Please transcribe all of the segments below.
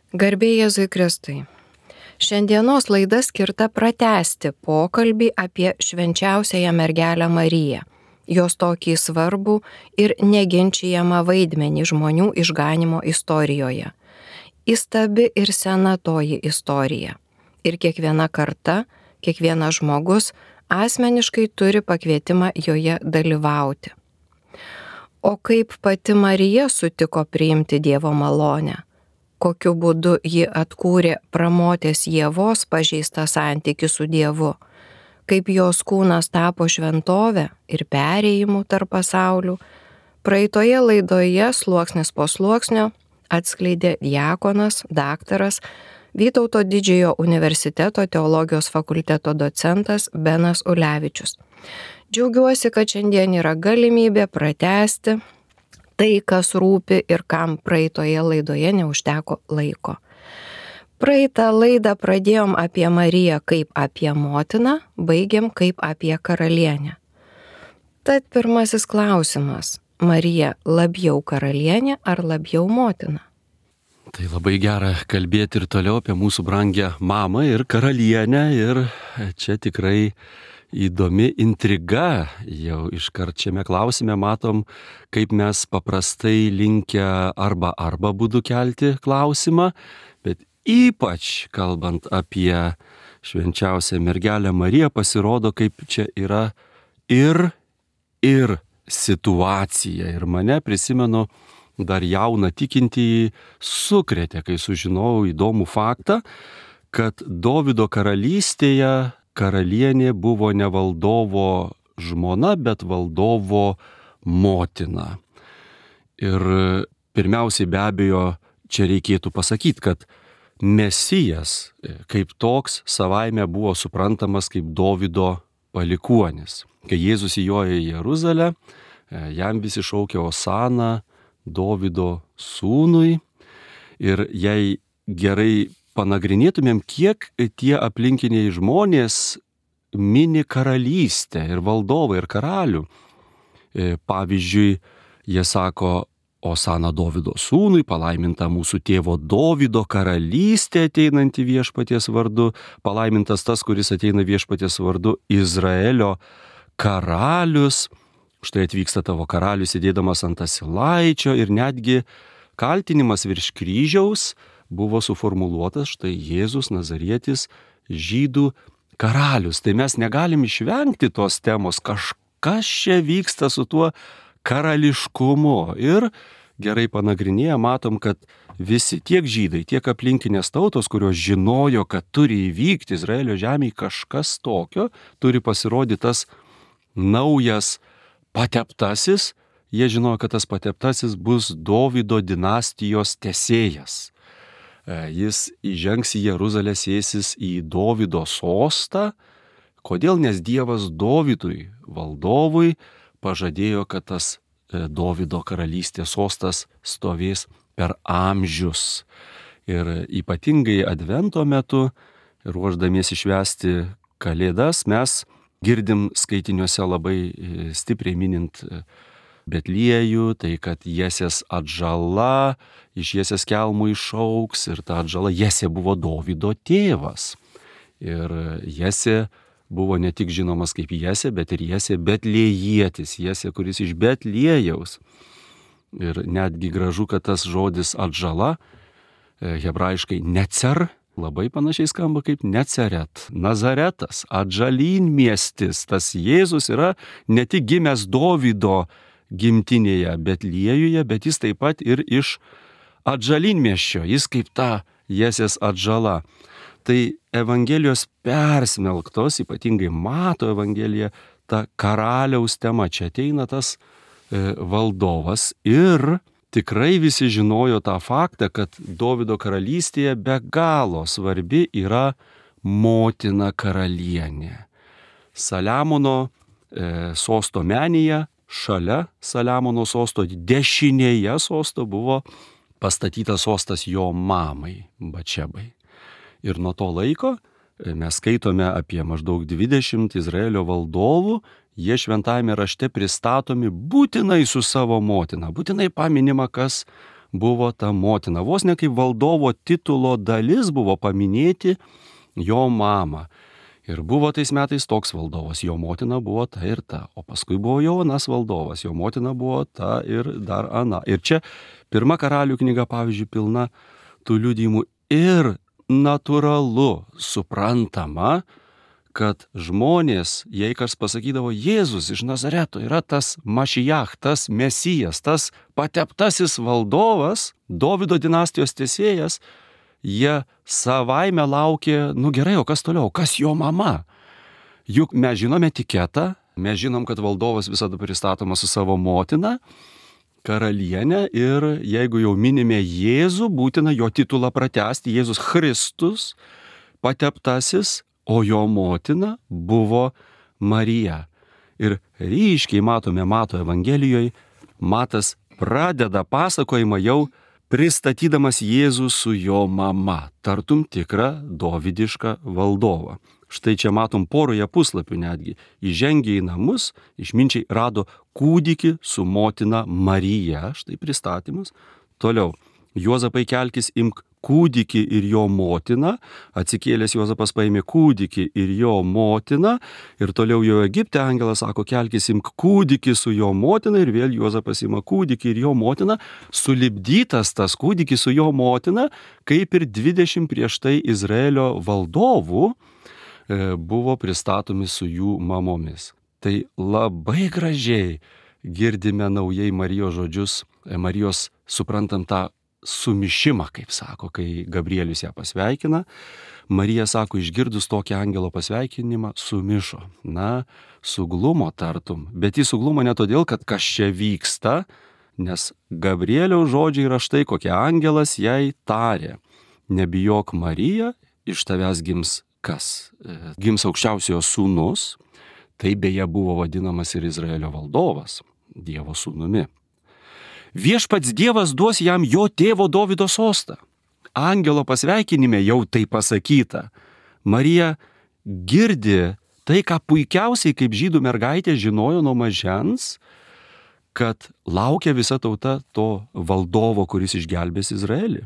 Garbė Jėzui Kristui. Šiandienos laida skirta pratęsti pokalbį apie švenčiausiąją mergelę Mariją, jos tokį svarbų ir neginčijamą vaidmenį žmonių išganimo istorijoje. Įstabi ir sena toji istorija. Ir kiekviena karta, kiekvienas žmogus asmeniškai turi pakvietimą joje dalyvauti. O kaip pati Marija sutiko priimti Dievo malonę? Kokiu būdu ji atkūrė pramotės Ievos pažeistą santykį su Dievu, kaip jos kūnas tapo šventovė ir perėjimu tarp pasaulių, praeitoje laidoje sluoksnis po sluoksnio atskleidė diakonas, daktaras, Vytauto Didžiojo universiteto teologijos fakulteto docentas Benas Ulevičius. Džiaugiuosi, kad šiandien yra galimybė pratęsti tai, kas rūpi ir kam praeitoje laidoje neužteko laiko. Praeitą laidą pradėjom apie Mariją kaip apie motiną, baigėm kaip apie karalienę. Tad pirmasis klausimas: Marija labiau karalienė ar labiau motina? Tai labai gera kalbėti ir toliau apie mūsų brangę mamą ir karalienę, ir čia tikrai įdomi intriga. Jau iškart šiame klausime matom, kaip mes paprastai linkę arba būdu kelti klausimą, bet ypač kalbant apie švenčiausią mergelę Mariją, pasirodo, kaip čia yra ir situacija. Ir mane, prisimenu, dar jauną tikintįjį sukrėtė, kai sužinojau įdomų faktą, kad Dovydo karalystėje karalienė buvo ne valdovo žmona, bet valdovo motina. Ir pirmiausiai be abejo čia reikėtų pasakyti, kad Mesijas kaip toks savaime buvo suprantamas kaip Dovydo palikuonis. Kai Jėzus įjojo į Jeruzalę, jam visi šaukė Osana Dovydo sūnui, ir jei gerai panagrinėtumėm, kiek tie aplinkiniai žmonės mini karalystę ir valdovą ir karalių. Pavyzdžiui, jie sako Osana Dovydo sūnui, palaiminta mūsų tėvo Dovydo karalystė ateinanti viešpaties vardu, palaimintas tas, kuris ateina viešpaties vardu, Izraelio karalius. Štai atvyksta tavo karalius sėdėdamas ant asilaičio, ir netgi kaltinimas virš kryžiaus buvo suformuluotas: štai Jėzus Nazarietis, žydų karalius. Tai mes negalim išvengti tos temos, kažkas čia vyksta su tuo karališkumu. Ir gerai panagrinėję matom, kad visi, tiek žydai, tiek aplinkinės tautos, kurios žinojo, kad turi įvykti Izraelio žemėje kažkas tokio, turi pasirodyti tas naujas pateptasis, jie žinojo, kad tas pateptasis bus Dovydo dinastijos tęsėjas. Jis įžengs į Jeruzalę, sėsis į Dovydo sostą. Kodėl? Nes Dievas Dovydui, valdovui, pažadėjo, kad tas Dovydo karalystės sostas stovės per amžius. Ir ypatingai Advento metu, ruošdamiesi švęsti Kalėdas, mes girdim skaitiniuose labai stipriai minint Betliejų, tai kad Jesės atžala iš Jesės kelmų išauks, ir ta atžala Jesė buvo Dovydo tėvas. Ir Jesė buvo ne tik žinomas kaip Jesė, bet ir Jesė Betliejietis, Jesė, kuris iš Betliejaus. Ir netgi gražu, kad tas žodis atžala, hebrajiškai necer, labai panašiai skamba kaip Neceret, Nazaretas, atžalynmiestis. Tas Jėzus yra ne tik gimęs Dovydo gimtinėje Betliejuje, bet jis taip pat ir iš atžalynmiesčio, jis kaip ta Jesės atžala. Tai Evangelijos persmelktos, ypatingai Mato Evangelija, ta karaliaus tema. Čia ateina tas valdovas, ir tikrai visi žinojo tą faktą, kad Dovydo karalystėje be galo svarbi yra motina karalienė. Saliamono sosto menėje, šalia Saliamono sosto, dešinėje sosto buvo pastatytas sostas jo mamai, Bačebai. Ir nuo to laiko mes skaitome apie maždaug 20 Izraelio valdovų, jie šventajame rašte pristatomi būtinai su savo motina, būtinai paminima, kas buvo ta motina. Vos ne kaip valdovo titulo dalis buvo paminėti jo mamą. Ir buvo tais metais toks valdovas, jo motina buvo ta ir ta, o paskui buvo jau anas valdovas, jo motina buvo ta ir dar ana. Ir čia pirma Karalių knyga, pavyzdžiui, pilna tų liudijimų ir natūralu, suprantama, kad žmonės, jei kas pasakydavo, Jėzus iš Nazareto yra tas Mašijach, tas Mesijas, tas pateptasis valdovas, Dovydo dinastijos tęsėjas, jie savaime laukė, gerai, o kas toliau, kas jo mama? Juk mes žinome etiketą, mes žinom, kad valdovas visada pristatomas su savo motina, karalienė, ir jeigu jau minime Jėzų, būtina jo titulą pratęsti, Jėzus Kristus, pateptasis, o jo motina buvo Marija. Ir ryškiai matome Mato Evangelijoje, Matas pradeda pasakojimą jau pristatydamas Jėzų su jo mama, tartum tikrą dovydišką valdovą. Štai čia matom poroje puslapių netgi. Įžengė į namus, išminčiai rado kūdikį su motina Marija, štai pristatymas. Toliau, Juozapai kelkis, imk kūdikį ir jo motiną, atsikėlęs Juozapas paėmė kūdikį ir jo motiną, ir toliau jau Egipte angelas sako, kelkis, imk kūdikį su jo motina, ir vėl Juozapas ima kūdikį ir jo motiną, sulipdytas tas kūdikis su jo motina, kaip ir 20 prieš tai Izraelio valdovų buvo pristatomi su jų mamomis. Tai labai gražiai girdime naujai Marijos žodžius, Marijos suprantam tą sumišimą, kaip sako, kai Gabrielius ją pasveikina. Marija sako, išgirdus tokį angelo pasveikinimą, sumišo. Suglumo tartum. Bet jis suglumo ne todėl, kad kas čia vyksta, nes Gabrieliaus žodžiai yra štai, kokie angelas jai tarė. Nebijok, Marija, iš tavęs gims kas? Gims aukščiausiojo sūnus. Tai beje buvo vadinamas ir Izraelio valdovas, Dievo sūnumi. Viešpats Dievas duos jam jo tėvo Dovydo sostą. Angelo pasveikinime jau tai pasakyta. Marija girdi tai, ką puikiausiai kaip žydų mergaitė žinojo nuo mažens, kad laukia visa tauta to valdovo, kuris išgelbės Izraelį.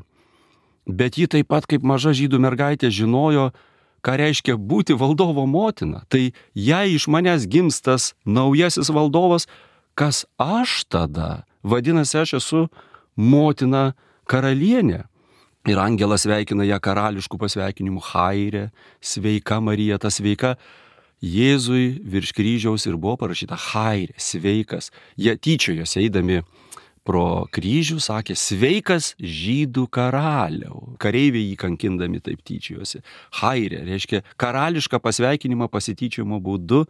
Bet ji taip pat kaip maža žydų mergaitė žinojo, ką reiškia būti valdovo motina. Tai jei iš manęs gims tas naujasis valdovas, kas aš tada? Vadinasi, aš esu motina karalienė. Ir angelas sveikina ją karališkų pasveikinimų, Haire, sveika Marija, ta sveika. Jėzui virš kryžiaus ir buvo parašyta Haire, sveikas. Jie tyčiojosi eidami pro kryžių sakė, sveikas žydų karaliau. Kareiviai jį kankindami taip tyčiojosi. Haire reiškia karališką pasveikinimą pasityčiojimo būdu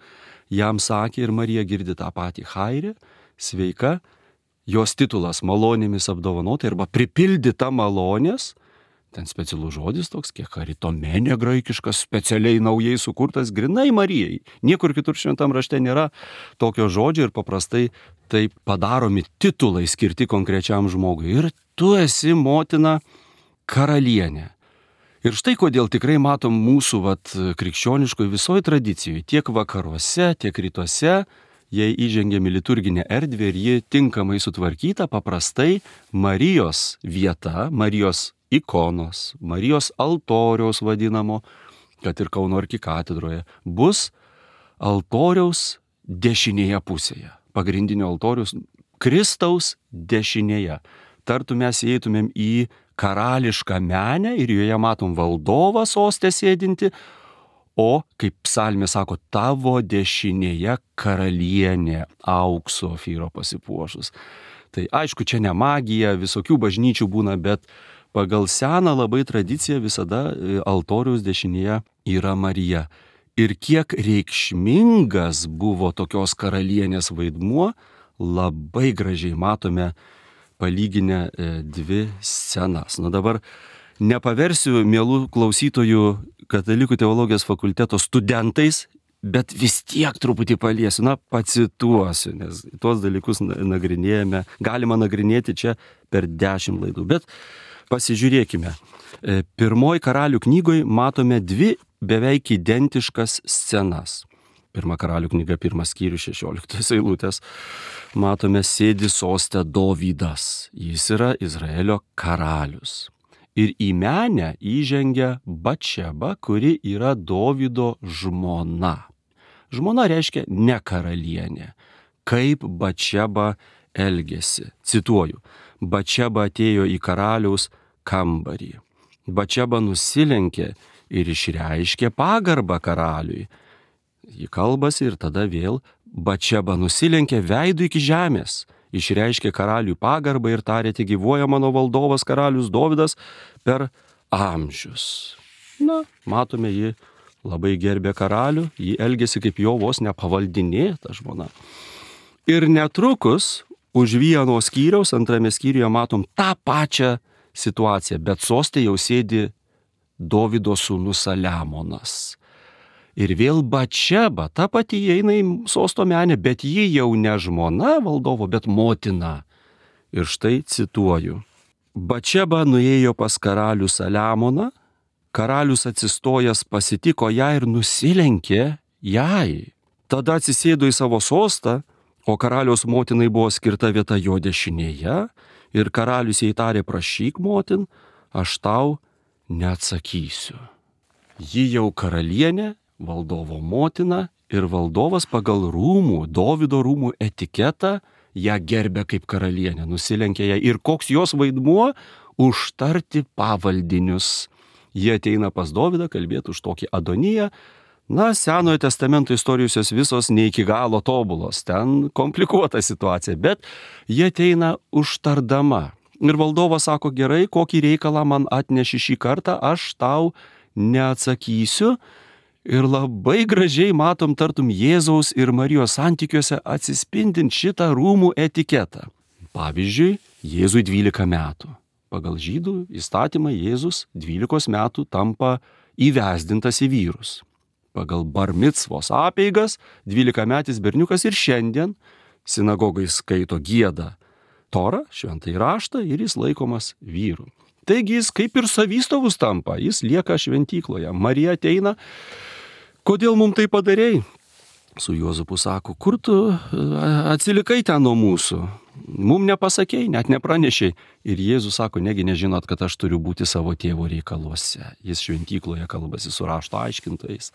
jam sakė, ir Marija girdi tą patį. Haire, sveika. Jos titulas malonėmis apdovanota arba pripildyta malonės, ten specialus žodis toks, kiek karitomenė graikiškas, specialiai naujai sukurtas, grinai Marijai. Niekur kitur šventam rašte nėra tokio žodžio ir paprastai taip padaromi titulai skirti konkrečiam žmogui. Ir tu esi motina karalienė. Ir štai kodėl tikrai matom mūsų krikščioniškoje visoje tradicijoje, tiek vakaruose, tiek rytuose, jei įžengiame liturginę erdvę ir ji tinkamai sutvarkyta, paprastai Marijos vieta, Marijos ikonos, Marijos altoriaus vadinamo, kad ir Kauno arkikatedroje, bus altoriaus dešinėje pusėje. Pagrindinio altoriaus Kristaus dešinėje. Tartum mes įeitumėm į karališką menę ir joje matom valdovą sostę sėdinti, o, kaip psalmė sako, tavo dešinėje karalienė aukso ofyro pasipuošus. Tai aišku, čia ne magija, visokių bažnyčių būna, bet pagal seną labai tradiciją visada altoriaus dešinėje yra Marija. Ir kiek reikšmingas buvo tokios karalienės vaidmuo, labai gražiai matome palyginę dvi scenas. Dabar nepaversiu mielų klausytojų Katalikų teologijos fakulteto studentais, bet vis tiek truputį paliesiu, pacituosiu, nes tuos dalykus nagrinėjame, galima nagrinėti čia per 10 laidų. Bet pasižiūrėkime. Pirmoji Karalių knygoje matome dvi beveik identiškas scenas. Pirma Karalių knyga, 1 skyrius, 16 eilutės, matome, sėdi soste Dovydas. Jis yra Izraelio karalius. Ir į menę įžengia Batšeba, kuri yra Dovydo žmona. Žmona reiškia ne karalienė. Kaip Batšeba elgėsi. Cituoju, Batšeba atėjo į karaliaus kambarį. Batšeba nusilenkė ir išreiškė pagarbą karaliui. Ji kalbasi ir tada vėl Batšeba nusilenkė veidu iki žemės, išreiškė karaliui pagarbą ir tarė, tegyvuoja mano valdovas karalius Dovydas per amžius. Na, matome, ji labai gerbė karalių, ji elgėsi kaip jo vos nepavaldinė, ta žmona. Ir netrukus už vieno skyriaus, 2 skyriuje matom tą pačią situaciją, bet soste jau sėdi Dovydo sūnus Saliamonas. Ir vėl Batšeba, ta pati įeina į sosto menę, bet ji jau ne žmona valdovo, bet motina. Ir štai cituoju. Batšeba nuėjo pas karalių Saliamoną, karalius atsistojęs pasitiko ją ir nusilenkė jai. Tada atsisėdo į savo sostą, o karaliaus motinai buvo skirta vieta jo dešinėje, ir karalius jai tarė, prašyk motin, aš tau neatsakysiu. Ji jau karalienė, valdovo motina, ir valdovas pagal Dovydo rūmų etiketą ją gerbė kaip karalienę, nusilenkė ją. Ir koks jos vaidmuo? Užtarti pavaldinius. Jie ateina pas Dovydą kalbėti už tokį Adoniją. Na, Senojo testamento istorijos jos visos ne iki galo tobulos, ten komplikuota situacija, bet jie ateina užtardama. Ir valdovas sako, gerai, kokį reikalą man atneši šį kartą, aš tau neatsakysiu. Ir labai gražiai matom tartum Jėzaus ir Marijos santykiuose atsispindint šitą rūmų etiketą. Pavyzdžiui, Jėzui 12 metų. Pagal žydų įstatymą Jėzus 12 metų tampa įvesdintas į vyrus. Pagal bar micvos apeigas 12-metis berniukas ir šiandien sinagogai skaito, gieda Torą, šventąjį raštą ir jis laikomas vyru. Taigi jis kaip ir savystovus tampa, jis lieka šventykloje. Marija ateina, kodėl mums tai padarei? Su Juozapu sako, kur tu atsilikai ten nuo mūsų? Mums nepasakei, net nepranešei. Ir Jėzus sako, negi nežinot, kad aš turiu būti savo tėvo reikaluose. Jis šventykloje kalbasi su rašto aiškintojais.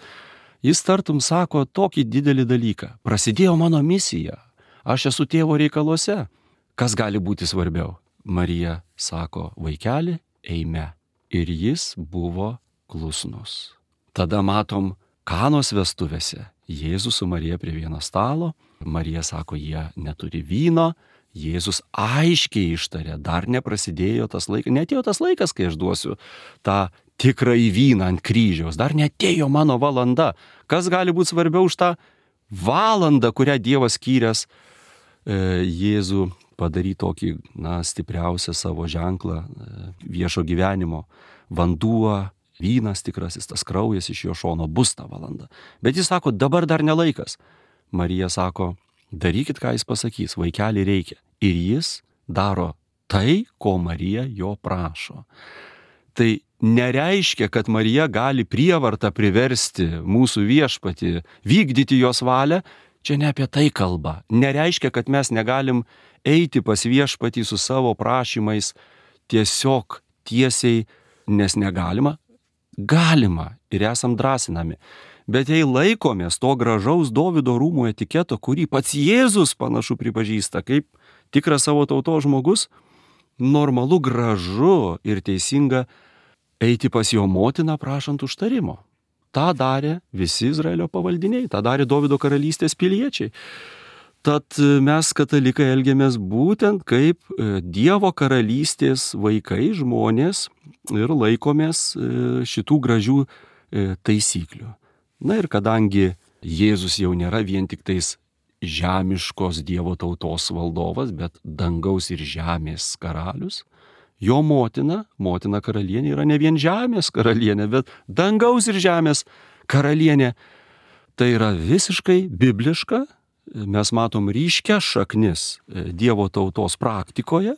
Jis tartum sako tokį didelį dalyką. Prasidėjo mano misija. Aš esu tėvo reikaluose. Kas gali būti svarbiau? Marija sako, vaikeli, eime. Ir jis buvo klusnus. Tada matom Kanos vestuvėse. Jėzus su Marija prie vieno stalo. Marija sako, jie neturi vyno. Jėzus aiškiai ištarė, dar neprasidėjo tas laikas, netėjo tas laikas, kai aš duosiu tą tikrąjį vyną ant kryžiaus. Dar netėjo mano valanda. Kas gali būti svarbiau už tą valandą, kurią Dievas skyręs Jėzų padaryti tokį, stipriausią savo ženklą viešo gyvenimo. Vanduo, vynas tikrasis, tas kraujas iš jo šono bus tą valandą. Bet jis sako, dabar dar ne laikas. Marija sako, darykit, ką jis pasakys, vaikelį reikia. Ir jis daro tai, ko Marija jo prašo. Tai nereiškia, kad Marija gali prievartą priversti mūsų viešpatį, vykdyti jos valią. Čia ne apie tai kalba. Nereiškia, kad mes negalim eiti pas viešpatį su savo prašymais tiesiog tiesiai, nes negalima. Galima ir esam drąsinami. Bet jei laikomės to gražaus Dovydo rūmų etiketo, kurį pats Jėzus panašu pripažįsta kaip tikras savo tautos žmogus, normalu, gražu ir teisinga eiti pas jo motiną prašant užtarimo. Ta darė visi Izraelio pavaldiniai, tą darė Dovydo karalystės piliečiai. Tad mes katalikai elgiamės būtent kaip Dievo karalystės vaikai, žmonės ir laikomės šitų gražių taisyklių. Na ir kadangi Jėzus jau nėra vien tik tais žemiškos Dievo tautos valdovas, bet dangaus ir žemės karalius, jo motina karalienė yra ne vien žemės karalienė, bet dangaus ir žemės karalienė. Tai yra visiškai bibliška. Mes matom ryškias šaknis Dievo tautos praktikoje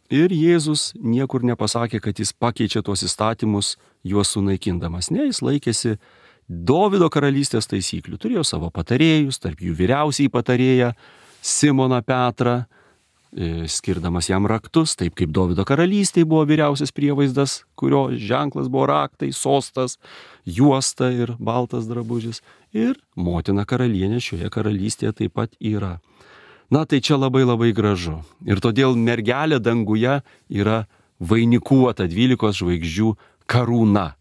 ir Jėzus niekur nepasakė, kad jis pakeičia tuos įstatymus juos sunaikindamas. Ne, jis laikėsi Dovydo karalystės taisyklių. Turėjo savo patarėjus, tarp jų vyriausiai patarėją Simoną Petrą, skirdamas jam raktus, taip kaip Dovydo karalystėje buvo vyriausias prievaizdas, kurio ženklas buvo raktai, sostas, juosta ir baltas drabužis. Ir motina karalienė šioje karalystėje taip pat yra. Na tai čia labai labai gražu. Ir todėl mergelė danguje yra vainikuota 12 žvaigždžių karūna.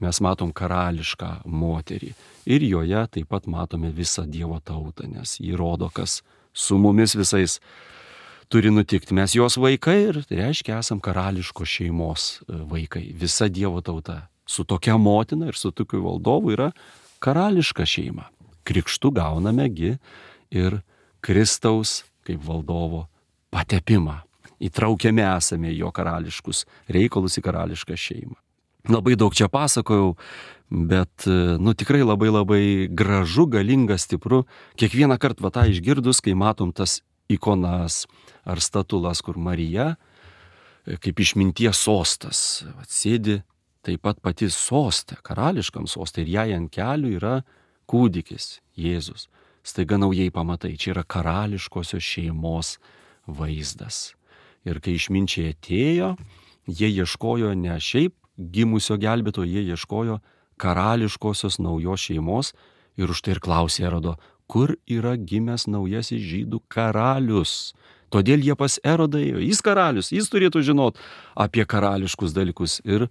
Mes matom karališką moterį. Ir joje taip pat matome visą Dievo tautą, nes jį rodo, kas su mumis visais turi nutikti. Mes jos vaikai ir tai reiškia esam karališkos šeimos vaikai. Visa Dievo tauta su tokia motina ir su tokiu valdovu yra karališka šeima. Krikštu gaunamegi ir Kristaus kaip valdovo patepimą. Įtraukiami esame jo karališkus reikalus į karališką šeimą. Labai daug čia pasakojau, bet tikrai labai labai gražu, galinga, stipru. Kiekvieną kartą tą išgirdus, kai matom tas ikonas ar statulas, kur Marija, kaip išminties sostas, sėdi taip pat pati soste, karališkam soste, ir jai ant kelių yra kūdikis, Jėzus. Staiga naujai pamatai, čia yra karališkosios šeimos vaizdas. Ir kai išminčiai atėjo, jie ieškojo ne šiaip gimusio gelbėtojo, jie ieškojo karališkosios naujos šeimos ir už tai ir klausė Erodo, kur yra gimęs naujasis žydų karalius. Todėl jie pas Erodą ėjo, jis karalius, jis turėtų žinot apie karališkus dalykus. Ir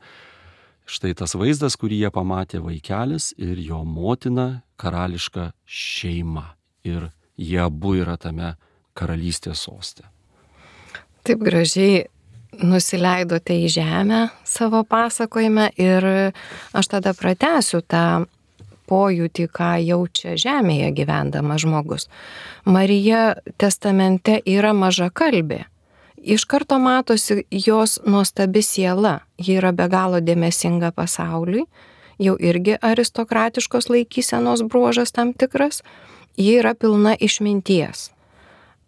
štai tas vaizdas, kurį jie pamatė, vaikelis ir jo motina, karališka šeima. Ir jie abu yra tame karalystės soste. Taip gražiai nusileidote į žemę savo pasakojime ir aš tada pratęsiu tą pojūtį, ką jaučia žemėje gyvendamas žmogus. Marija testamente yra mažakalbė. Iš karto matosi jos nuostabi siela. Ji yra be galo dėmesinga pasauliui, jau irgi aristokratiškos laikysenos bruožas tam tikras. Ji yra pilna išminties.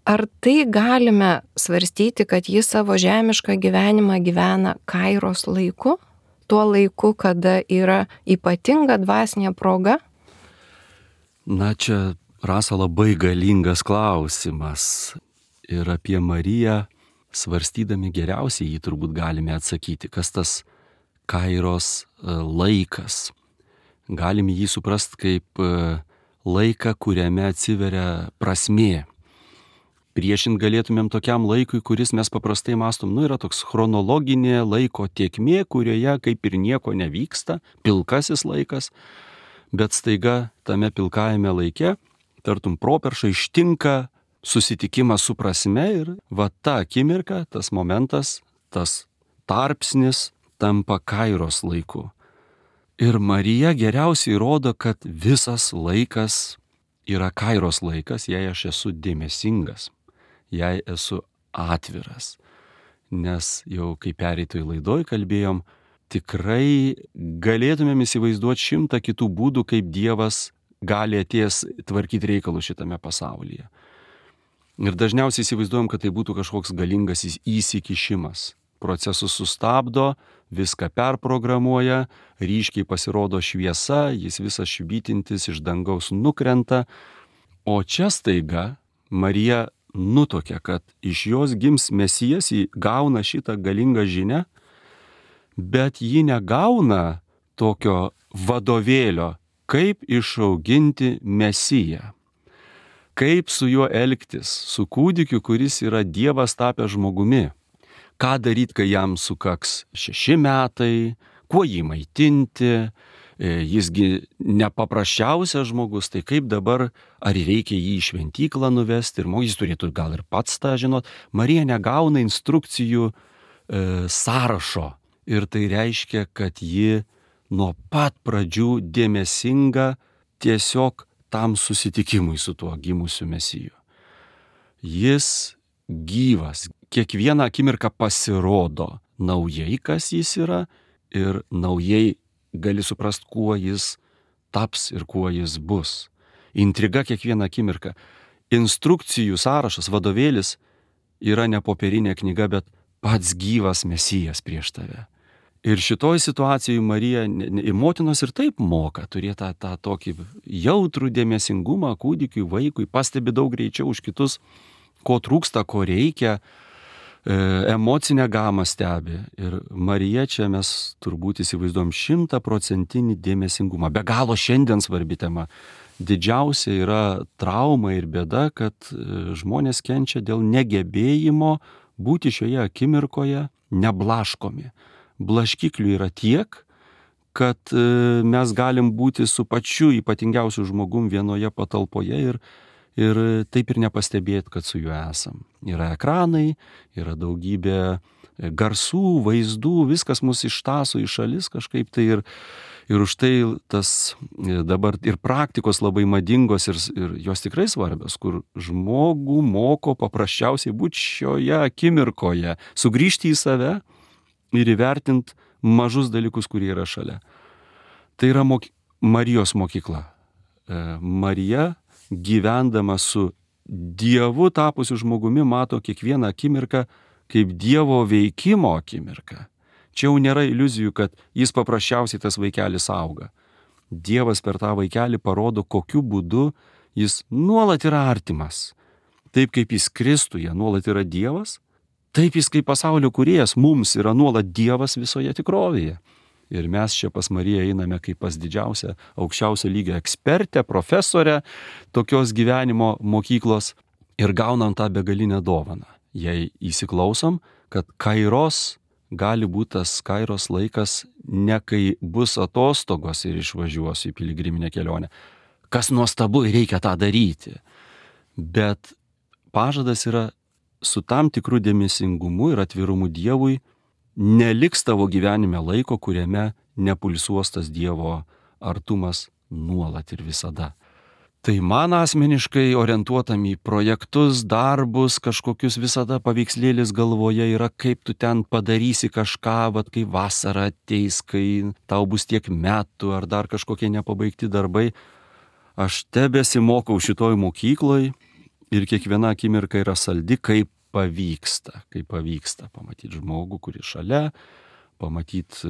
Ar tai galime svarstyti, kad ji savo žemišką gyvenimą gyvena Kairos laiku? Tuo laiku, kada yra ypatinga dvasinė proga? Na čia, Rasa, labai galingas klausimas. Ir apie Mariją svarstydami geriausiai jį turbūt galime atsakyti, kas tas Kairos laikas. Galime jį suprasti kaip laiką, kuriame atsiveria prasmė. Priešint galėtumėm tokiam laikui, kuris mes paprastai mastom, yra toks chronologinė laiko tėkmė, kurioje kaip ir nieko nevyksta, pilkasis laikas, bet staiga tame pilkajame laike, tartum properša, ištinka susitikimas su prasme ir va ta akimirka, tas momentas, tas tarpsnis tampa Kairos laiku. Ir Marija geriausiai rodo, kad visas laikas yra Kairos laikas, jei aš esu dėmesingas. Jei esu atviras, nes jau kaip pereitoj laidoj kalbėjom, tikrai galėtumėm įsivaizduoti 100 kitų būdų, kaip Dievas gali atėjęs tvarkyti reikalus šitame pasaulyje. Ir dažniausiai įsivaizduojam, kad tai būtų kažkoks galingas įsikišimas. Procesus sustabdo, viską perprogramuoja, ryškiai pasirodo šviesa, jis visas švytintis iš dangaus nukrenta, o čia staiga Marija nutuokia, kad iš jos gims Mesijas, ji gauna šitą galingą žinią, bet ji negauna tokio vadovėlio, kaip išauginti Mesiją, kaip su juo elgtis, su kūdikiu, kuris yra Dievas tapęs žmogumi, ką daryti, kai jam sukaks 6 metai, kuo jį maitinti, jisgi nepaprasčiausias žmogus, tai kaip dabar, ar reikia jį į šventyklą nuvesti, ir jis turėtų gal ir pats tą žinot. Marija negauna instrukcijų sąrašo ir tai reiškia, kad ji nuo pat pradžių dėmesinga tiesiog tam susitikimui su tuo gimusiu Mesiju. Jis gyvas, kiekvieną akimirką pasirodo naujai, kas jis yra, ir naujai gali suprast, kuo jis taps ir kuo jis bus. Intriga kiekvieną akimirką. Instrukcijų sąrašas, vadovėlis yra ne popierinė knyga, bet pats gyvas Mesijas prieš tave. Ir šitoj situacijoje Marija ir motinos ir taip moka turėti tą tokį jautrų dėmesingumą kūdikiui, vaikui, pastebi daug greičiau už kitus, ko trūksta, ko reikia, emocinę gamą stebi. Ir Marija čia mes turbūt įsivaizduojam 100% dėmesingumą. Be galo šiandien svarbi tema. Didžiausia yra trauma ir bėda, kad žmonės kenčia dėl negebėjimo būti šioje akimirkoje neblaškomi. Blaškiklių yra tiek, kad mes galim būti su pačiu ypatingiausiu žmogum vienoje patalpoje ir taip ir nepastebėti, kad su juo esam. Yra ekranai, yra daugybė garsų, vaizdų, viskas mus ištaso į šalis kažkaip tai ir už tai tas dabar ir praktikos labai madingos ir jos tikrai svarbios, kur žmogų moko paprasčiausiai būti šioje akimirkoje, sugrįžti į save ir įvertinti mažus dalykus, kurie yra šalia. Tai yra Marijos mokykla. Marija, gyvendama su Dievu tapusiu žmogumi, mato kiekvieną akimirką kaip Dievo veikimo akimirką. Čia jau nėra iliuzijų, kad jis paprasčiausiai tas vaikelis auga. Dievas per tą vaikelį parodo, kokiu būdu jis nuolat yra artimas. Taip kaip jis Kristuje nuolat yra Dievas, taip jis kaip pasaulio kūrėjas mums yra nuolat Dievas visoje tikrovėje. Ir mes čia pas Mariją einame kaip pas didžiausią, aukščiausio lygio ekspertę, profesorę tokios gyvenimo mokyklos ir gaunam tą begalinę dovaną. Jei įsiklausom, kad kairos gali būti tas kairos laikas ne kai bus atostogos ir išvažiuosiu į piligriminę kelionę. Kas nuostabu, reikia tą daryti. Bet pažadas yra su tam tikru dėmesingumu ir atvirumu Dievui neliks tavo gyvenime laiko, kuriame nepulsuos tas Dievo artumas nuolat ir visada. Tai man asmeniškai orientuotam į projektus, darbus, kažkokius visada paveikslėlis galvoje yra, kaip tu ten padarysi kažką, vat kai vasara ateis, kai tau bus tiek metų ar dar kažkokie nepabaigti darbai. Aš tebesimokau šitoj mokykloj ir kiekviena akimirka yra saldi, kaip pavyksta pamatyti žmogų, kuris šalia, pamatyti,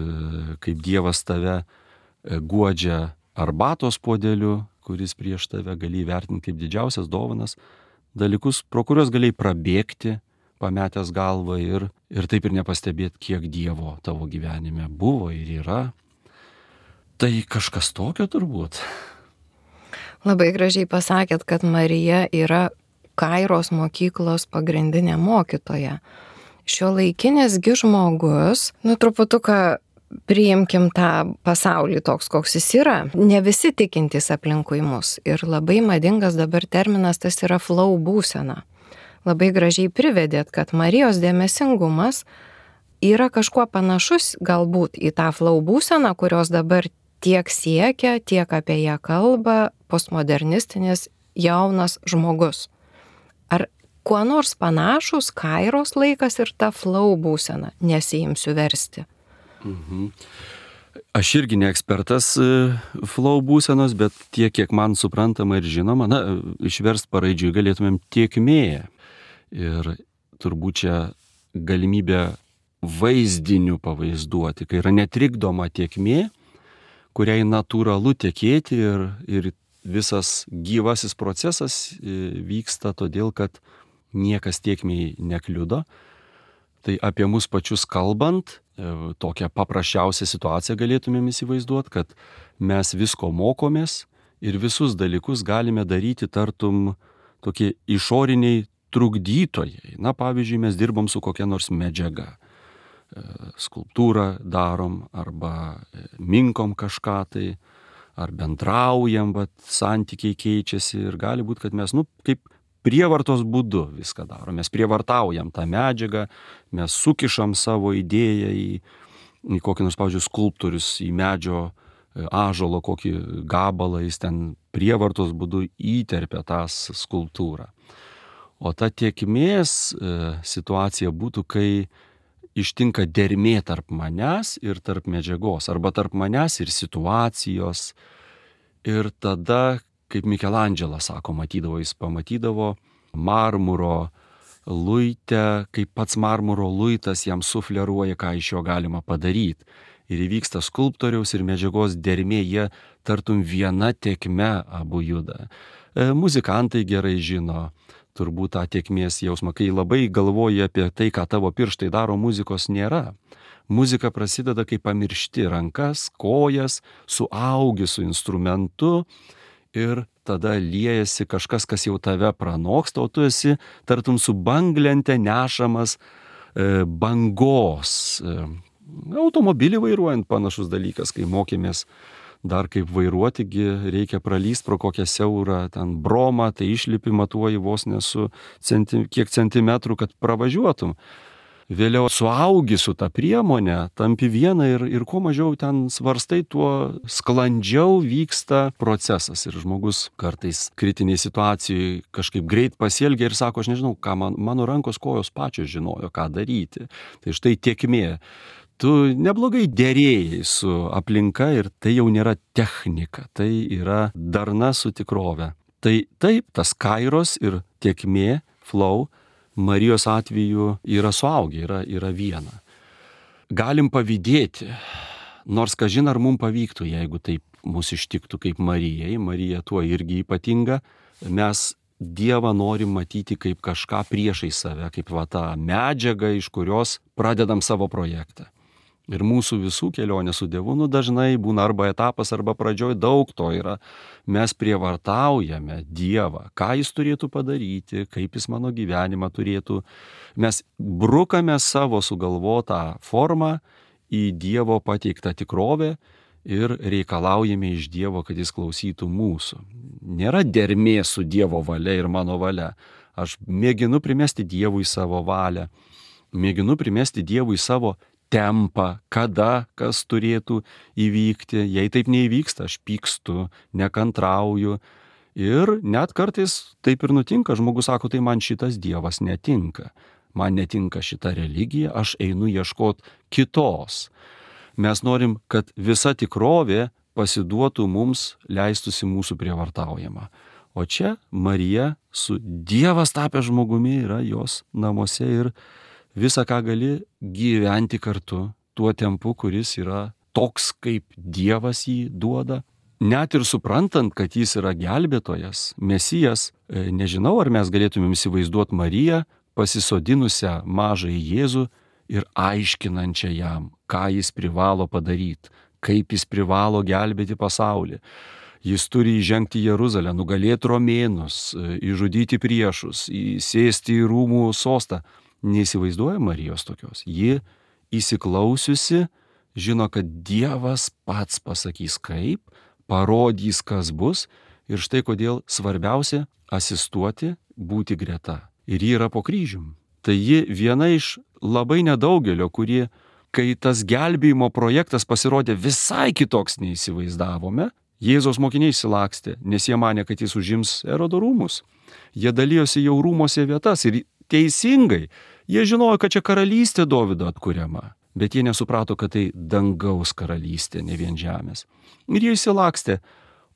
kaip Dievas tave guodžia arbatos puodeliu, kuris prieš tave gali įvertinti kaip didžiausias dovanas, dalykus, pro kuriuos gali prabėgti, pametęs galvą ir taip ir nepastebėti, kiek Dievo tavo gyvenime buvo ir yra. Tai kažkas tokio turbūt. Labai gražiai pasakėt, kad Marija yra Kairos mokyklos pagrindinė mokytoja. Šiuolaikinis žmogus, truputuką priimkim tą pasaulį toks, koks jis yra. Ne visi tikintys aplinkui mus. Ir labai madingas dabar terminas tas yra flow būsena. Labai gražiai privedėt, kad Marijos dėmesingumas yra kažkuo panašus galbūt į tą flow būseną, kurios dabar tiek siekia, tiek apie ją kalba postmodernistinis jaunas žmogus. Ar kuo nors panašus kairos laikas ir ta flow būsena? Nesiimsiu versti. Aš irgi ne ekspertas flow būsenos, bet tiek, kiek man suprantama ir žinoma, išverst paraidžiui galėtumėm tiekmė. Ir turbūt čia galimybė vaizdiniu pavaizduoti, kai yra netrikdoma tiekmė, kuriai natūralu tekėti ir visas gyvasis procesas vyksta todėl, kad niekas tiekmei nekliudo. Tai apie mus pačius kalbant, tokią paprasčiausią situaciją galėtumėm įsivaizduoti, kad mes visko mokomės ir visus dalykus galime daryti tartum tokie išoriniai trukdytojai. Pavyzdžiui, mes dirbam su kokia nors medžiaga. Skulptūrą darom arba minkom kažką tai, ar bendraujam, bet santykiai keičiasi ir gali būti, kad mes, kaip prievartos būdu viską darom. Mes prievartaujam tą medžiagą, mes sukišam savo idėją į kokį nors, pavyzdžiui, skulptorius, į medžio ąžuolo kokį gabalą, jis ten prievartos būdu įterpia tą skulptūrą. O ta tiekmės situacija būtų, kai ištinka dermė tarp manęs ir tarp medžiagos, arba tarp manęs ir situacijos. Ir tada, kaip Mikelandželas sako, jis pamatydavo marmuro luite, kaip pats marmuro luitas jam sufleruoja, ką iš jo galima padaryti. Ir įvyksta skulptoriaus ir medžiagos dermė, jie tartum viena tėkme abu juda. Muzikantai gerai žino turbūt tą tėkmės jausmą, kai labai galvoji apie tai, ką tavo pirštai daro, muzikos nėra. Muzika prasideda, kai pamiršti rankas, kojas, suaugi su instrumentu ir tada liejasi kažkas, kas jau tave pranoksta, o tu esi tartum su banglente nešamas bangos. Automobilį vairuojant panašus dalykas, kai mokėmės dar kaip vairuotigi, reikia pralyst pro kokią siaurą ten bromą, tai išlipi matuoji vos nesu kiek centimetrų, kad pravažiuotum. Vėliau suaugi su ta priemonė, tampi viena ir kuo mažiau ten svarstai, tuo sklandžiau vyksta procesas. Ir žmogus kartais kritiniai situacijai kažkaip greit pasielgia ir sako, aš nežinau, ką mano rankos kojos pačios žinojo, ką daryti. Tai štai tėkmė. Tu neblogai derėjai su aplinka ir tai jau nėra technika, tai yra darna su tikrove. Tai taip, tas kairos ir tėkmė, flow, Marijos atveju yra suaugę, yra viena. Galim pavydėti, nors kažin ar mums pavyktų, jeigu taip mus ištiktų kaip Marijai. Marija tuo irgi ypatinga. Mes Dievą norim matyti kaip kažką priešai save, kaip tą medžiagą, iš kurios pradedam savo projektą. Ir mūsų visų kelionė su Dievu dažnai būna arba etapas, arba pradžioj daug to yra. Mes prievartaujame Dievą, ką jis turėtų padaryti, kaip jis mano gyvenimą turėtų. Mes brukame savo sugalvotą formą į Dievo pateiktą tikrovę ir reikalaujame iš Dievo, kad jis klausytų mūsų. Nėra dermė su Dievo valia ir mano valia. Aš mėginu primesti Dievui savo valią, mėginu primesti Dievui savo tempą, kada, kas turėtų įvykti. Jei taip neįvyksta, aš pykstu, nekantrauju. Ir net kartais taip ir nutinka. Žmogus sako, tai man šitas Dievas netinka. Man netinka šita religija, aš einu ieškoti kitos. Mes norim, kad visa tikrovė pasiduotų mums, leistųsi mūsų prievartaujama. O čia Marija su Dievas tapęs žmogumi yra jos namuose ir visą, ką gali gyventi kartu, tuo tempu, kuris yra toks, kaip Dievas jį duoda. Net ir suprantant, kad jis yra gelbėtojas, Mesijas, nežinau, ar mes galėtumėm įsivaizduoti Mariją pasisodinusią mažąjį Jėzų ir aiškinančią jam, ką jis privalo padaryti, kaip jis privalo gelbėti pasaulį. Jis turi įžengti į Jeruzalę, nugalėti romėnus, išžudyti priešus, įsėsti į rūmų sostą. Neįsivaizduoja Marijos tokios. Ji įsiklausiusi, žino, kad Dievas pats pasakys kaip, parodys, kas bus, ir štai kodėl svarbiausia asistuoti, būti greta. Ir ji yra po kryžium. Tai ji viena iš labai nedaugelio, kurie, kai tas gelbėjimo projektas pasirodė visai kitoks neįsivaizdavome, Jėzaus mokiniai išsilakstė, nes jie manė, kad jis užims Erodo rūmus. Jie dalijosi jau rūmose vietas ir teisingai. Jie žinojo, kad čia karalystė Dovydo atkuriama, bet jie nesuprato, kad tai dangaus karalystė, ne vien žemės. Ir jie išsilakstė.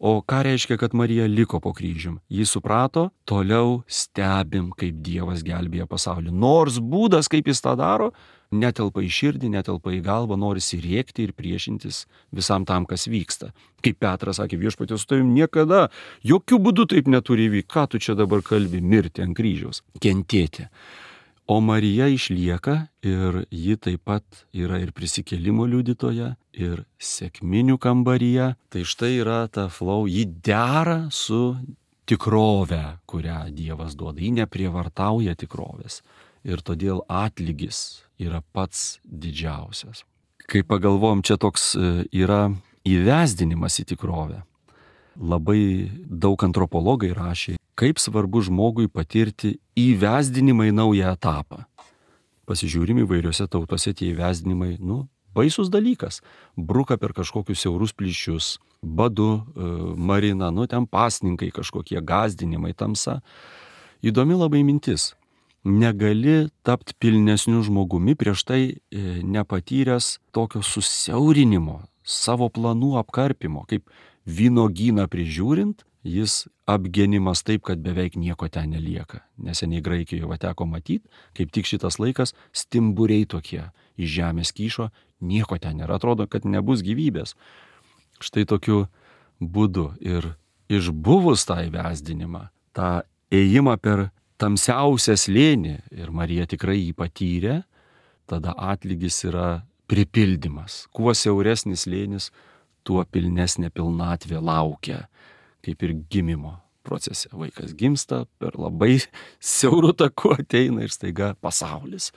O ką reiškia, kad Marija liko po kryžium? Jis suprato, toliau stebim, kaip Dievas gelbėja pasaulį. Nors būdas, kaip jis tą daro, netelpa į širdį, netelpa į galvą, norisi rėkti ir priešintis visam tam, kas vyksta. Kaip Petras sakė, viešpatie, su tavim niekada, jokių būdų taip neturi įvykti. Ką tu čia dabar kalbi? Mirti ant kryžiaus, kentėti. O Marija išlieka ir ji taip pat yra ir prisikėlimo liudytoja, ir sekminių kambaryje. Tai štai yra ta flow, ji dera su tikrove, kurią Dievas duoda. Ji neprievartauja tikrovės. Ir todėl atlygis yra pats didžiausias. Kai pagalvojom, čia toks yra įvesdinimas į tikrovę. Labai daug antropologai rašė, kaip svarbu žmogui patirti įvesdinimą į naują etapą. Pasižiūrim įvairiose tautose tie įvesdinimai, baisus dalykas. Bruka per kažkokius siaurus plyšius, badu, marina, ten pasninkai kažkokie, gąsdinimai, tamsa. Įdomi labai mintis. Negali tapti pilnesniu žmogumi prieš tai nepatyręs tokio susiaurinimo, savo planų apkarpimo, kaip vynogyną prižiūrint, jis apgenimas taip, kad beveik nieko ten nelieka. Neseniai Graikijoje teko matyti, kaip tik šitas laikas stimburiai tokie iš žemės kyšo, nieko ten nėra, atrodo, kad nebus gyvybės. Štai tokiu būdu ir išbuvus tą įvesdinimą, tą ėjimą per tamsiausią slėnį, ir Marija tikrai jį patyrė, tada atlygis yra pripildymas. Kuo siauresnis slėnis, tuo pilnesnė pilnatvė laukia, kaip ir gimimo procese. Vaikas gimsta, per labai siaurų takų ateina ir staiga pasaulis.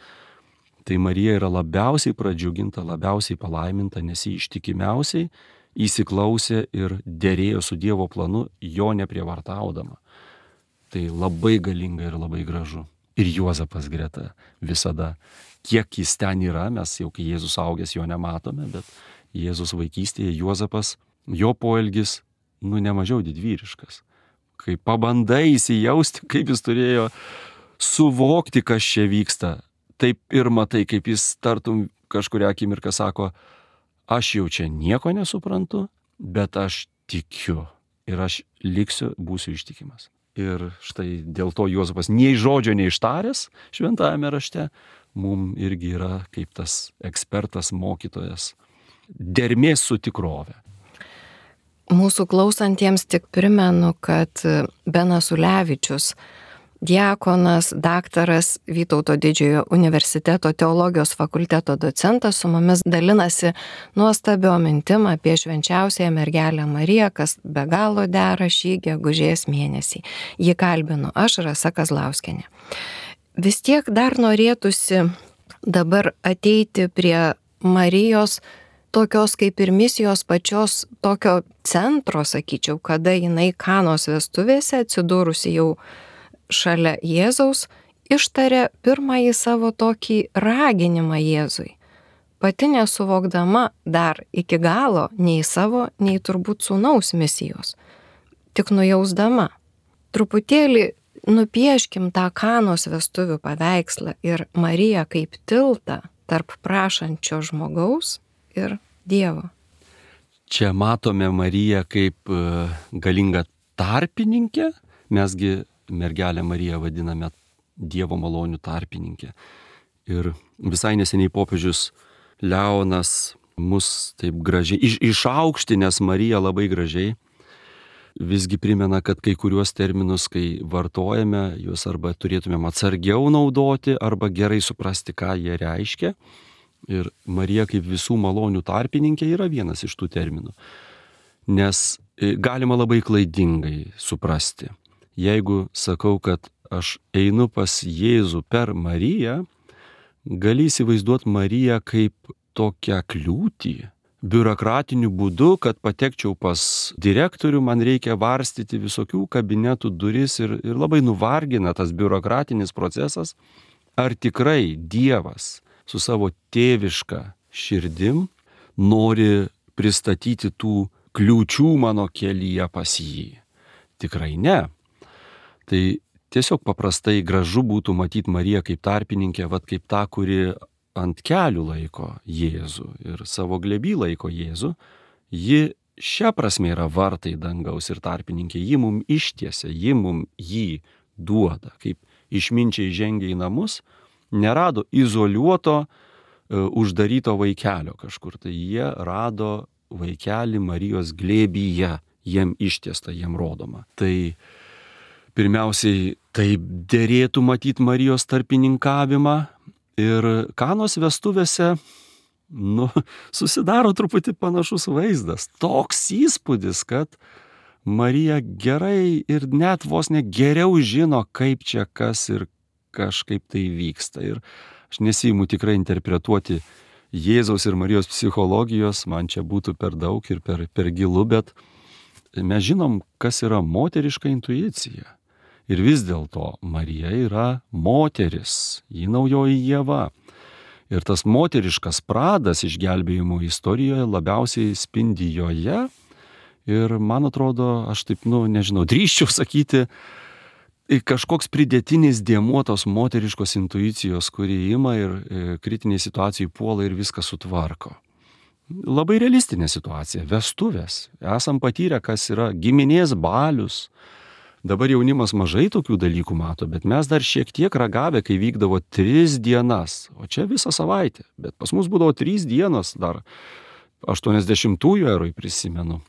Tai Marija yra labiausiai pradžiuginta, labiausiai palaiminta, nes ji ištikimiausiai įsiklausė ir derėjo su Dievo planu, jo neprievartaudama. Tai labai galinga ir labai gražu. Ir Juozapas greta visada. Kiek jis ten yra, mes jau kai Jėzus augęs jo nematome, bet Jėzus vaikystėje Juozapas, jo poelgis, nemažiau didvyriškas. Kai pabandai įsijausti, kaip jis turėjo suvokti, kas čia vyksta, taip ir matai, kaip jis tartum kažkuria akimirką sako, aš jau čia nieko nesuprantu, bet aš tikiu ir aš liksiu, būsiu ištikimas. Ir štai dėl to Juozapas nei žodžio neištaręs šventajame rašte, mums irgi yra kaip tas ekspertas, mokytojas, dermės su tikrove. Mūsų klausantiems tik primenu, kad Benas Ulevičius, diakonas, daktaras, Vytauto didžiojo universiteto teologijos fakulteto docentas, su mumis dalinasi nuostabio mintim apie švenčiausiąją mergelę Mariją, kas be galo dera šį gegužės mėnesį. Jį kalbinu aš, Rasa Kazlauskienė. Vis tiek dar norėtųsi dabar ateiti prie Marijos tokios kaip ir misijos pačios tokio centro, sakyčiau, kada jinai Kanos vestuvėse, atsidūrusi jau šalia Jėzaus, ištarė pirmąjį savo tokį raginimą Jėzui. Pati nesuvokdama dar iki galo nei savo, nei turbūt sūnaus misijos. Tik nujausdama. Truputėlį nupieškim tą Kanos vestuvių paveikslą ir Mariją kaip tiltą tarp prašančio žmogaus ir Dievo. Čia matome Mariją kaip galingą tarpininkę, mesgi mergelę Mariją vadiname Dievo malonių tarpininkė. Ir visai neseniai popiežius Leonas mus taip gražiai, išaukštinęs Mariją labai gražiai, visgi primena, kad kai kuriuos terminus, kai vartojame, juos arba turėtumėm atsargiau naudoti, arba gerai suprasti, ką jie reiškia. Ir Marija kaip visų malonių tarpininkė yra vienas iš tų terminų. Nes galima labai klaidingai suprasti. Jeigu sakau, kad aš einu pas Jėzų per Mariją, gali įsivaizduoti Mariją kaip tokią kliūtį. Biurokratiniu būdu, kad patekčiau pas direktorių, man reikia varstyti visokių kabinetų duris ir labai nuvargina tas biurokratinis procesas. Ar tikrai Dievas su savo tėviška širdim nori pristatyti tų kliūčių mano kelyje pas jį? Tikrai ne. Tai tiesiog paprastai gražu būtų matyti Mariją kaip tarpininkę, kaip tą, kuri ant kelių laiko Jėzų ir savo glėby laiko Jėzų. Ji šia prasme yra vartai dangaus ir tarpininkė. Ji mum ištiesia, ji mum jį duoda. Kaip išminčiai žengia į namus, nerado izoliuoto, uždaryto vaikelio kažkur. Tai jie rado vaikelį Marijos glėbyje, jiem ištiesta, jiem rodoma. Tai pirmiausiai taip derėtų matyti Marijos tarpininkavimą. Ir Kanos vestuvėse, susidaro truputį panašus vaizdas. Toks įspūdis, kad Marija gerai ir net vos ne geriau žino, kaip čia kas ir kažkaip tai vyksta. Ir aš nesiimu tikrai interpretuoti Jėzaus ir Marijos psichologijos, man čia būtų per daug ir per gilu, bet mes žinom, kas yra moteriška intuicija. Ir vis dėlto Marija yra moteris, ji naujoji Ieva. Ir tas moteriškas pradas išgelbėjimo istorijoje labiausiai spindi joje. Ir man atrodo, aš taip, drįsčiau sakyti, kažkoks pridėtinis dėmuo tos moteriškos intuicijos, kuri ima ir kritiniai situacijai puola ir viską sutvarko. labai realistinė situacija, vestuvės. Esam patyrę, kas yra giminės balius. Dabar jaunimas mažai tokių dalykų mato, bet mes dar šiek tiek ragavę, kai vykdavo 3 dienas, o čia visą savaitę. Bet pas mus būdavo 3 dienos, dar 80-ųjų eroj prisimenu.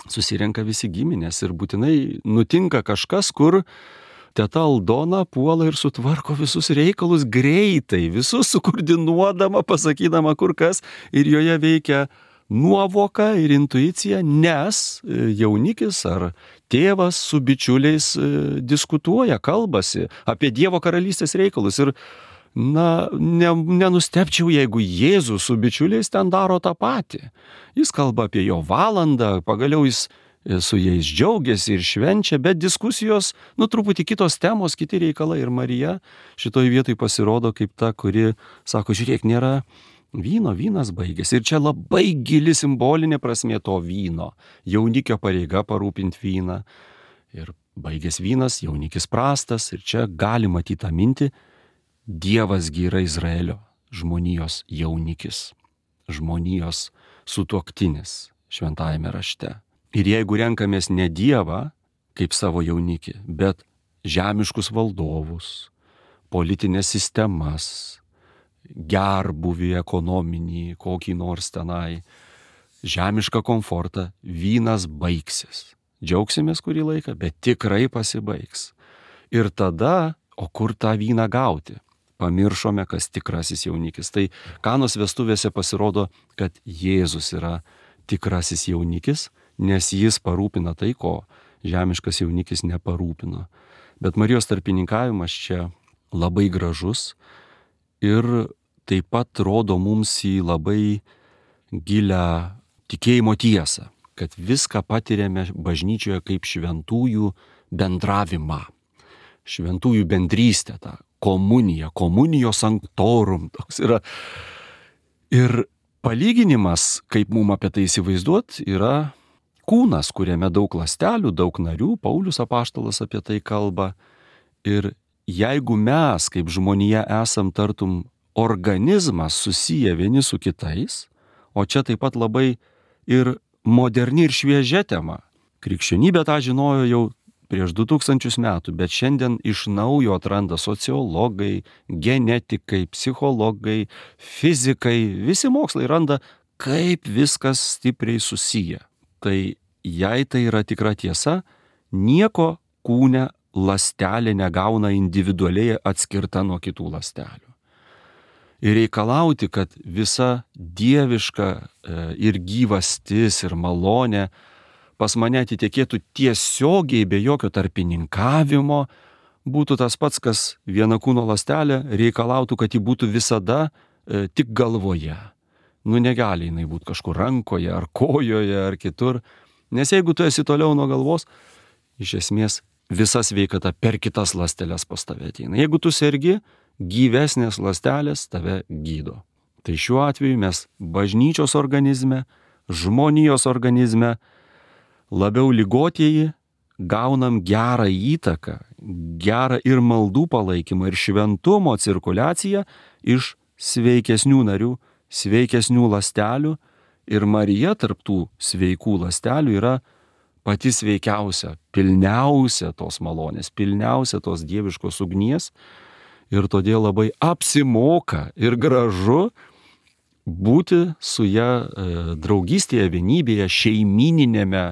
Susirenka visi giminės ir būtinai nutinka kažkas, kur teta Aldona puola ir sutvarko visus reikalus greitai, visus sukoordinuodama, pasakydama kur kas, ir joje veikia nuovoka ir intuicija, nes jaunikis ar tėvas su bičiuliais diskutuoja, kalbasi apie Dievo karalystės reikalus. Ir nenustepčiau, jeigu Jėzus su bičiuliais ten daro tą patį. Jis kalba apie jo valandą, pagaliau jis su jais džiaugiasi ir švenčia, bet diskusijos, truputį kitos temos, kiti reikalai. Ir Marija šitoj vietoj pasirodo kaip ta, kuri sako, žiūrėk, nėra vyno, vynas baigėsi. Ir čia labai gili simbolinė prasmė to vyno. Jaunikio pareiga parūpinti vyną. Ir baigės vynas, jaunikis prastas. Ir čia gali matyti tą mintį, Dievasgi yra Izraelio žmonijos jaunikis, žmonijos sutuoktinis šventajame rašte. Ir jeigu renkamės ne Dievą kaip savo jaunikį, bet žemiškus valdovus, politinės sistemas, gerbuvį ekonominį, kokį nors tenai, žemišką komfortą, vynas baigsis. Džiaugsimės kurį laiką, bet tikrai pasibaigs. Ir tada, o kur tą vyną gauti? Pamiršome, kas tikrasis jaunikis. Tai Kanos vestuvėse pasirodo, kad Jėzus yra tikrasis jaunikis, nes jis parūpina tai, ko žemiškas jaunikis neparūpino. Bet Marijos tarpininkavimas čia labai gražus ir taip pat rodo mums į labai gilią tikėjimo tiesą, kad viską patiriame bažnyčioje kaip šventųjų bendravimą, šventųjų bendrystę, tą komuniją, komunijos sanctorum toks yra. Ir palyginimas, kaip mums apie tai įsivaizduot, yra kūnas, kuriame daug ląstelių, daug narių, Paulius apaštalas apie tai kalba. Ir jeigu mes, kaip žmonija, esam tartum organizmas susiję vieni su kitais, o čia taip pat labai ir moderni ir šviežia tema. Krikščionybė tą žinojo jau prieš 2000 metų, bet šiandien iš naujo atranda sociologai, genetikai, psichologai, fizikai, visi mokslai randa, kaip viskas stipriai susiję. Tai jei tai yra tikra tiesa, nieko kūne ląstelė negauna individualiai atskirta nuo kitų ląstelių. Ir reikalauti, kad visa dieviška ir gyvastis ir malonė pas mane atitekėtų tiesiogiai be jokio tarpininkavimo, būtų tas pats, kas viena kūno ląstelė reikalautų, kad ji būtų visada tik galvoje. Negali jinai būti kažkur rankoje ar kojoje ar kitur, nes jeigu tu esi toliau nuo galvos, iš esmės visa sveikata per kitas ląsteles pas tave ateina. Jeigu tu sergi, gyvesnės ląstelės tave gydo. Tai šiuo atveju mes bažnyčios organizme, žmonijos organizme, labiau ligotieji gaunam gerą įtaką, gerą ir maldų palaikymą, ir šventumo cirkuliaciją iš sveikesnių narių, sveikesnių ląstelių, ir Marija tarp tų sveikų ląstelių yra pati sveikiausia, pilniausia tos malonės, pilniausia tos dieviškos ugnies, ir todėl labai apsimoka ir gražu būti su ja draugystėje, vienybėje, šeimininėme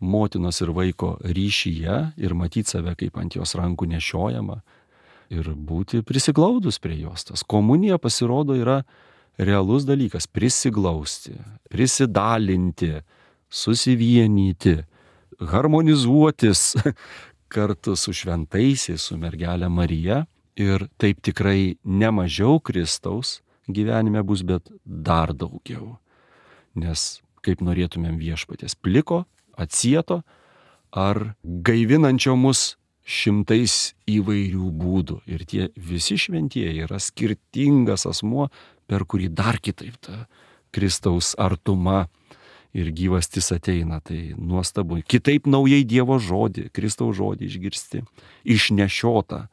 motinos ir vaiko ryšyje ir matyti save kaip ant jos rankų nešiojama ir būti prisiglaudus prie jos. Tas komunija pasirodo yra realus dalykas - prisiglausti, prisidalinti, susivienyti, harmonizuotis kartu su šventaisiais, su mergelė Marija, ir taip tikrai nemažiau Kristaus gyvenime bus, bet dar daugiau. Nes kaip norėtumėm viešpaties pliko, atsieto ar gaivinančio mus šimtais įvairių būdų. Ir tie visi šventieji yra skirtingas asmuo, per kurį dar kitaip ta Kristaus artuma ir gyvastis ateina. Tai nuostabu. Kitaip naujai Dievo žodį, Kristaus žodį išgirsti, išnešiota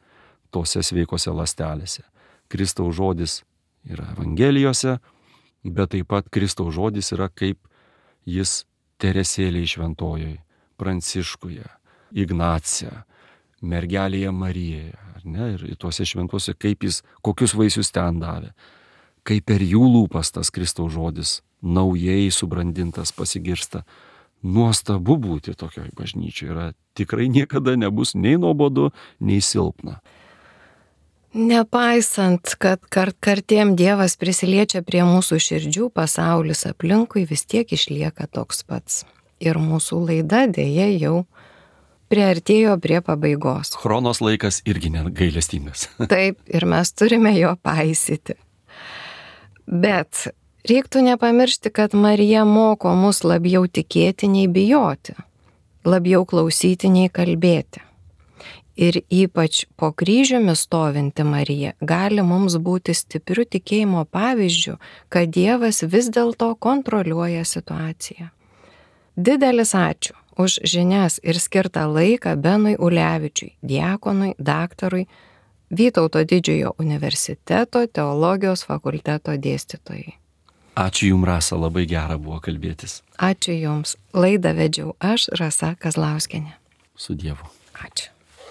tose sveikose ląstelėse. Kristaus žodis yra Evangelijose, bet taip pat Kristaus žodis yra kaip jis Teresėlėje Šventojoje, Pranciškuje, Ignacija, mergelėje Marijoje, ar ne, ir tuose šventuose, kaip jis, kokius vaisius ten davė, kaip per jų lūpas tas Kristaus žodis naujai subrandintas pasigirsta. Nuostabu būti tokioj bažnyčioje, yra tikrai niekada nebus nei nuobodu, nei silpna. Nepaisant, kad kartiem Dievas prisiliečia prie mūsų širdžių, pasaulis aplinkui vis tiek išlieka toks pats. Ir mūsų laida dėja jau priartėjo prie pabaigos. Chronos laikas irgi negailestingas. Taip, ir mes turime jo paisyti. Bet reiktų nepamiršti, kad Marija moko mus labiau tikėti nei bijoti, labiau klausyti nei kalbėti. Ir ypač po kryžiumi stovinti Marija gali mums būti stipriu tikėjimo pavyzdžiu, kad Dievas vis dėlto kontroliuoja situaciją. Didelis ačiū už žinias ir skirtą laiką Benui Ulevičiui, diakonui, daktarui, Vytauto Didžiojo universiteto teologijos fakulteto dėstytojai. Ačiū Jums, Rasa, labai gera buvo kalbėtis. Ačiū Jums. Laidą vedžiau aš, Rasa Kazlauskienė. Su Dievu. Ačiū.